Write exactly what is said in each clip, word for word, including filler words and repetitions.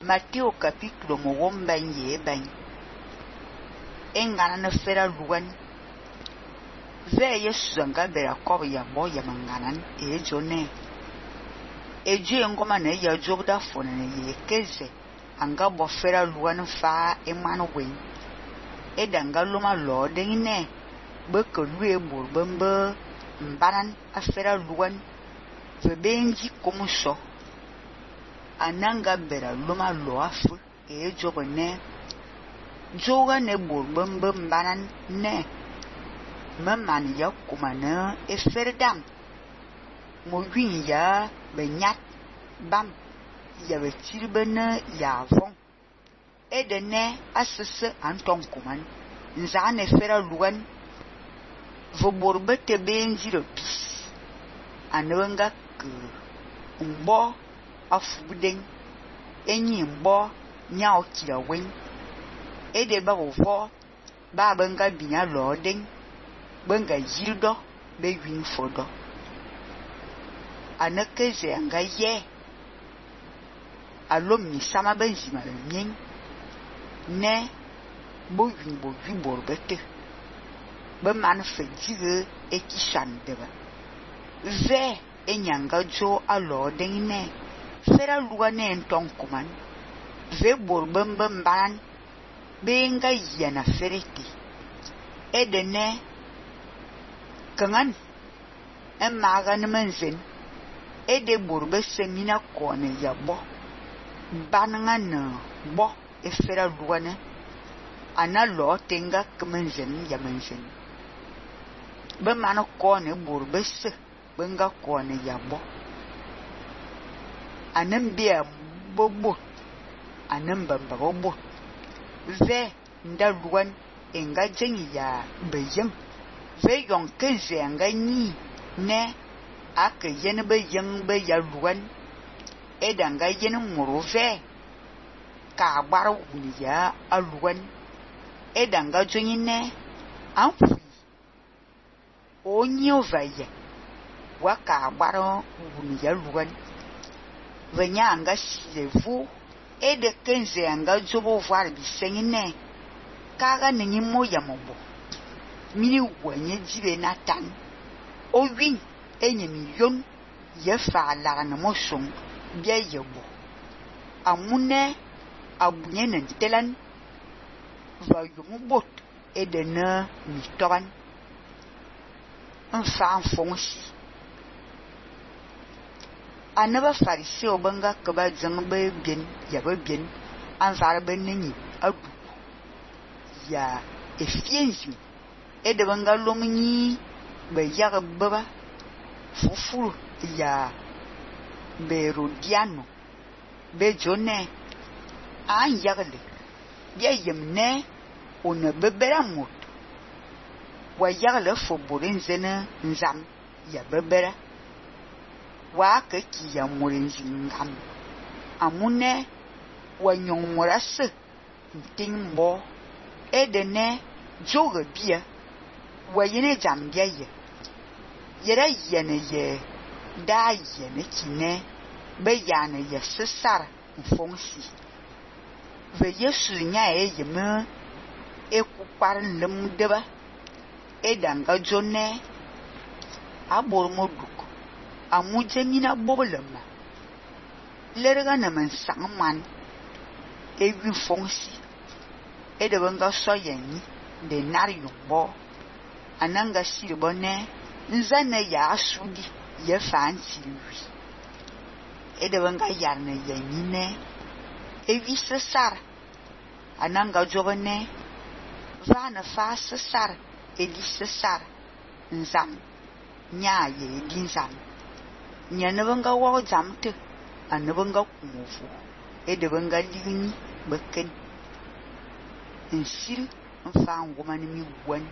Matteo capítulo mo womban ye ban. Engana na fera luan. Ve Yesu nga bera kob ya bo ya manganan e jone. E ju ngoma na ya jobda fona ye keze anga bo fera luan fa e manu wen. E danga luma lo de ne be ko lue bor bembe mbaran a fera luan ve benji como so. Ananga bera luma lo afu e jobne joga ne bor bembe mbaran ne maman ya kumana e ferdam mo win ya benyat bam ya betilbene ya von e de ne asese anton kuman nzane fera luan vo borbe te benji re pis anwenga ke mbo afubudeng enyi mbo nyao kira wen e de ba vo ba benga binya lo deng benga yirdo be win fodo anakeze anga ye alom ni sama benzima nyen ne bo win bo wi borbete be man fe jige e kishan deba ve enyanga jo alo deng ne fera luga ne enton kuman ve borbembe mban benga yana fereti e de ne kangan en magan menzen e de borbe semina kone ya bo bananga bo e fera luane ana lo tenga kmenzen ya menzen be mano kone borbe se benga kone ya bo anem bia bobo anem bamba bobo ve nda luan enga jengi ya beyeng ve yon keze anga ni ne ake yen be yen be ya luan edanga yen muru ve ka gbar wuni ya aluan edanga jonyi ne amfu onyo vaye wa ka gbar wuni ya luan venya anga silevu ede kenze anga jobo var bisenyi ne kaga ninyi moya mobo mini wenye jibe natan o win enye million ye fa la na moson bia yebo amune abunye na telan va yumubot edena mitoran enfant fonsi anaba fariseo banga kaba zangbe bien ya ba bien anvara benni adu ya efienzi ede banga lomni be yaga baba fufu ya berodiano be jone an yagle bia yemne ona bebera mot wa yagle fo borin zena nzam ya bebera wa ka ki ya morin zingam amune wa nyongorase ntingbo edene joga bia wa yene jambia ye yera yene ye da yene kine be yana ye sesar fonsi ve Yesu nya e yeme e ku par lem deba e danga jone abor moduk amuje mina bobolema lerga na man sangman e wi fonsi e de banga so yeni de nariyo bo ananga siribone nzane ya asudi ye fancy wi e de banga yarne yenine e wi sesar ananga jobone vana fa sesar e di sesar nzam nya ye dinzam nya ne banga wo zamte an banga kumufu e de banga ligni beken nsir mfa ngoma ni mi wan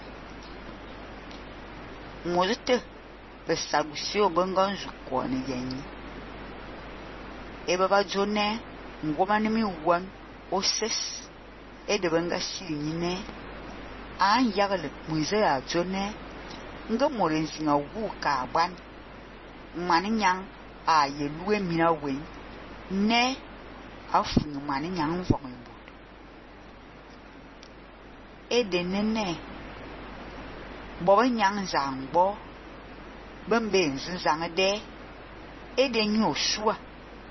mozete be sagusi obanga nzuko ni yanyi e baba jone ngoma ni mi wan oses e de banga shiri ne an yagle muize a jone nga morenzi nga wu ka ban mani nyang a ye luwe mina we ne afuni mani nyang vong bot e de nene bo nyang zang bo bembe nzang de e de nyo shua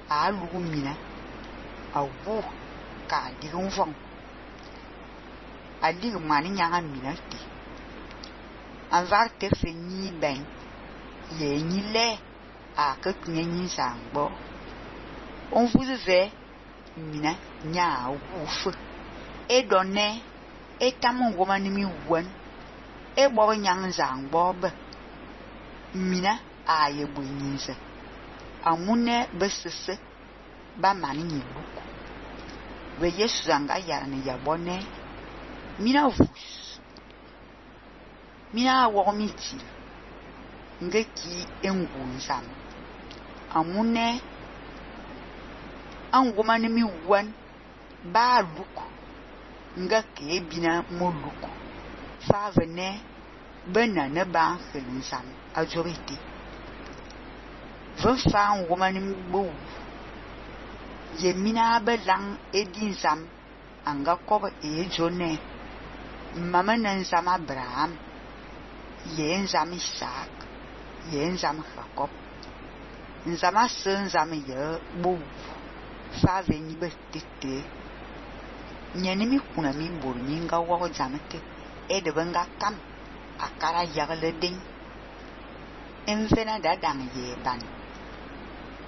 a lu mina a wu ka di vong a di mani nyang mina ti an var te fe ni ben ye ni le a que ni zang bo on vous ve mina nya wu fu e donne e tamon woman mi won e bo nyang zang bo be mina a ye bu nyinse amune besese ba mani ni luku we yesu anga yar ni ya bonne mina vus mina wo miti ngeki engunzam amune an woman mi won ba luku ngake bina mo luku fa vene bena ne ba khensam ajoriti van fa an woman mi bo ye mina belang edinzam anga koba e jone mama nan zam Abraham ye zam Isaac ye zam Jacob nzama sen zam ye bo fa veni betete nyani mi kuna mi bor nyinga wo zamete e de benga kam akara yagle ding envena da dang ye ban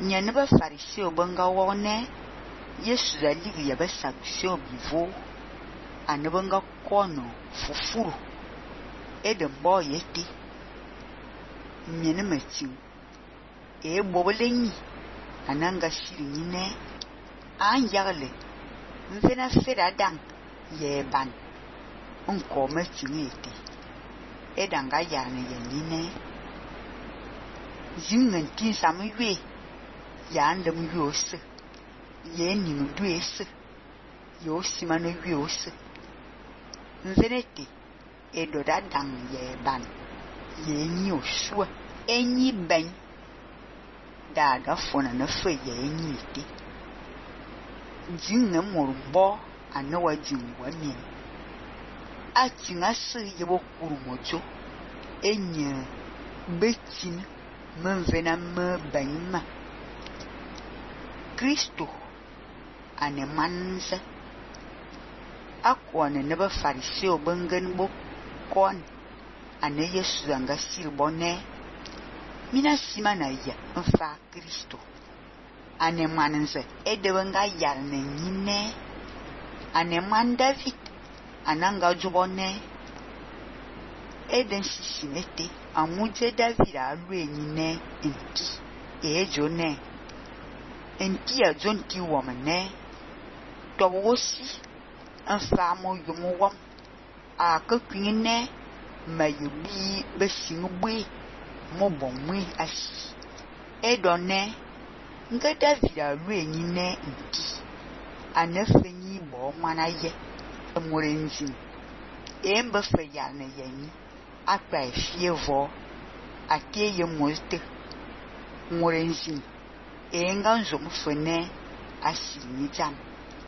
nyani ba fariseo benga wo ne yesu da ligi ya ba saksio bivo ane benga kono fufuru e de mbo yeti nyani matiu e bobolenyi ananga shiri nyine an yagle mvena fera dang ye ban onko matingeti e danga yarne ye nyine zingen tin samwe ya ndem yose ye ni duese yo simano yose mveneti e do da dang ye ban ye ni osua enyi ben da da fona na fe ye ni ti jinne morbo anawa jinwa ni a tinga se ye bo kuru mojo enye betin menvena me banima Kristo ane manse akwane ne ba fariseo bengen bo kon ane yesu anga silbone mina simana ya mfa Kristo ane manse edebenga yarne nyine ane man David ananga jubone eden sisimete amuje David alwe nyine enti ejone enti a jonti womane to wosi afamo yumo wom a kakwine mayubi besingwe mo bomwe asi edone nga David alwe nyine enti anafenyi bo manaye amorenzi emba feya na yani akpa fievo ateye molte morenzi enga nzo mfene asini jam